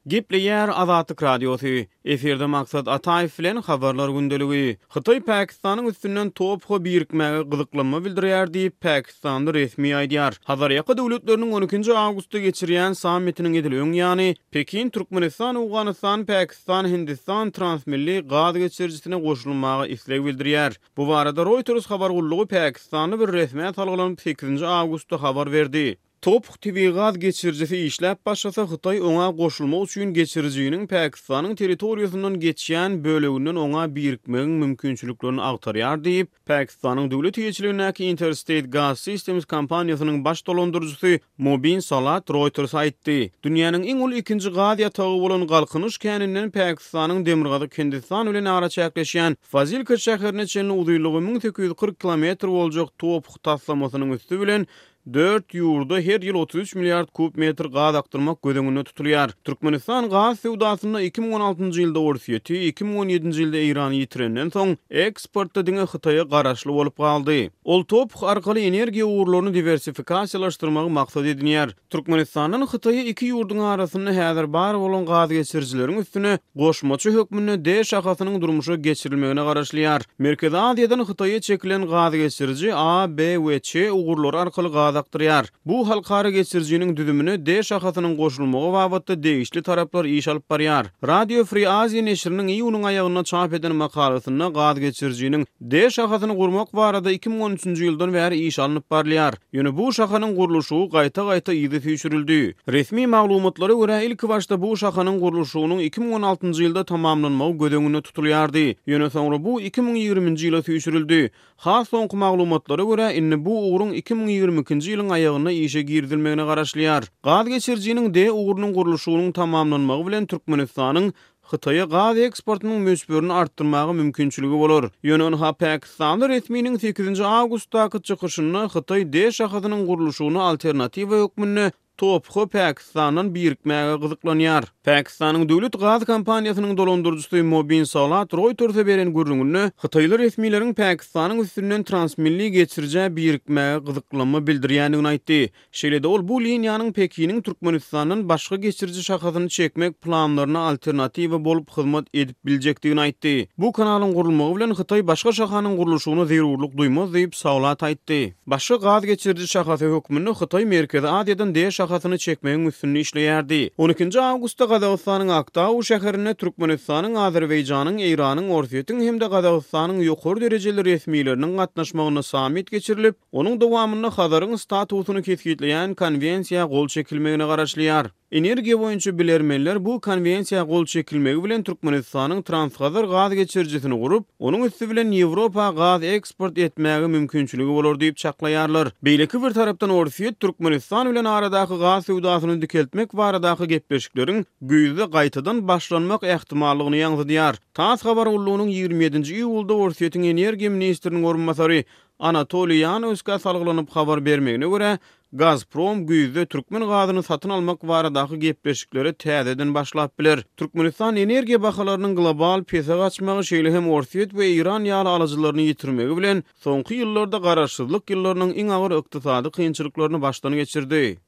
Gepleýär Azatlyk Radiosy, Efirde Maksat Ataýew bilen Habarlar gündeligi. Hytaý Pakistanyň üstünden TOPH-a birikmäge gyzyklanma bildirýär diýip, pakistanly resmi aýdýar. Hazarýaka döwletleriniň on ikinji awgustda geçirýän sammitiniň edil öň ýany, Pekin Türkmenistan, Owganystan, Pakistan, Hindistan transmilli gaz geçirijisine goşulmaga isleg bildirýär. Bu barada Reuters habar gullugy pakistanly bir resmä salgylanyp sekizinji awgustda habar berdi. TOPH tebigy gaz geçirijisi işläp başlasa, Hytaý oňa goşulmak üçin geçirijiniň Pakistanyň territoriýasyndan geçýän böleginden oňa birikmegiň mümkinçiliklerini agtarýar diýip, Pakistanyň döwlet eýeçiligindäki Interstate Gas Systems kompaniýasynyň baş dolandyryjysy Mobin Salat Reuters-a aýtdy. Dünýäniň iň uly ikinji gaz ýatagy bolan Galkynyş käninden Pakistanyň demirgazyk Hindistan bilen araçäkleşýän Fazilka şäherine çenli uzynlygy 1840 kilometr boljak TOPH taslamasynyň üsti bilen Dört ýurda her ýyl 33 milliard kub metr gaz akdyrmak göz öňünde tutulýar. Türkmenistan gaz söwdasynda 2016-njy ýylda Orsýeti, 2017-nji ýylda Eýrany ýitirenden soň, eksportda diňe Hytaýa garaşly bolup galdy. Ol TOPH arkaly energiýa ugurlaryny diwersifikasiýalaşdyrmagy maksat edinýär. Türkmenistandan Hytaýa iki ýurduň arasynda häzir bar bolan gazgeçirijileriň üstüne goşmaça hökmünde D şahasynyň durmuşa geçirilmegine garaşylýar. Merkezi Aziýadan Hytaýa çekilen gazgeçiriji A, B we Ç ugurlary arkaly gaz akdyrýar. Bu halkara geçirijiniň düzümine D şahasynyň goşulmagy babatda degişli taraplar iş alyp barýar. Radio Free Asia neşiriniň iýunyň aýagynda çap eden makalasynda gazgeçirijiniň D şahasyny gurmak barada 2013-nji ýyldan bäri iş alnyp barylýar. Ýöne bu şahanyň gurluşygy gaýta-gaýta yza süýşürildi. Resmi maglumatlara görä, ilkibaşda bu şahanyň gurluşygynyň 2016-njy ýylda tamamlanmagy göz öňünde tutulýardy. Ýöne soňra bu 2020-nji ýyla süýşürildi. Has soňky maglumatlara görä, indi bu ugruň 2022-nji ýylyň aýagynda işe girizilmegine garaşylýar. Gaz geçirijiniň D ugrunyň gurluşygynyň tamamlanmagy bilen Türkmenistanyň Hytaýa gaz eksportynyň möçberini artdyrmaga mümkinçiligi bolar. Ýöne ynha pakistanly resminiň sekizinji awgustdaky çykyşynda Hytaý D şahasynyň gurluşygyna alternatiwa hökmünde TOPH Pakistandan birikmäge gyzyklanýar. Pakistanyň döwlet gaz kompaniýasynyň dolandyryjysy Mobin Salat Reuters-e beren gürrüňinde hytaýly resmileriň Pakistanyň üstünden transmilli geçirijä birikmäge gyzyklanma bildirýändigini aýtdy. Şeýle-de ol bu liniýanyň Pekiniň Türkmenistandan başga geçiriji şahasyny çekmek planlaryna alternatiwa bolup hyzmat edip biljekdigini aýtdy. Bu kanalyň gurulmagy bilen Hytaý başga şahanyň gurluşygyna zerurlyk duýmaz diýip, Saulat aýtdy. Başga gaz geçiriji şahasy hökmünde Hytaý Merkezi Aziýadan D şahasyny çekmegiň üstünde işleýärdi. On ikinji awgustda Gazagystanyň Aktau şäherinde Türkmenistanyň, Azerbaýjanyň, Eýranyň, Orsýetiň hem-de Gazagystanyň ýokary derejeli resmileriniň gatnaşmagynda sammit geçirilip, Onuň dowamynda Hazaryň statusyny kesgitleýän Konwensiýa gol çekilmegine garaşylýar. Energiýa boýunça bilermenler bu Konwensiýa gol çekilmegi bilen Türkmenistanyň Transhazar gaz geçirijisini gurup, onuň üsti bilen Ýewropa gaz eksport etmäge mümkinçiligi bolar diýip çaklaýarlar. Beýleki bir tarapdan Orsýet Türkmenistan bilen aradaky gaz söwdasyny dikeltmek baradaky gepleşikleriň güýzde gaýtadan başlanmak ähtimallygyny ýaňzydýar. Tass habar gullugynyň 27-nji iýulda Orsýetiň energiýa ministriniň orunbasary Anatoliý Ýanowskä salgylanyp habar bermegine görä, Gazprom güýzde türkmen gazyny satyn almak baradaky gepleşiklere täzeden başlap biler. Türkmenistan energiýa bahalarynyň global pese gaçmagy, şeýle hem Orsýet we Eýran ýaly alyjylaryny ýitirmegi bilen, soňky ýyllarda garaşsyzlyk ýyllarynyň iň agyr ykdysady kynçylyklaryny başdan geçirdi.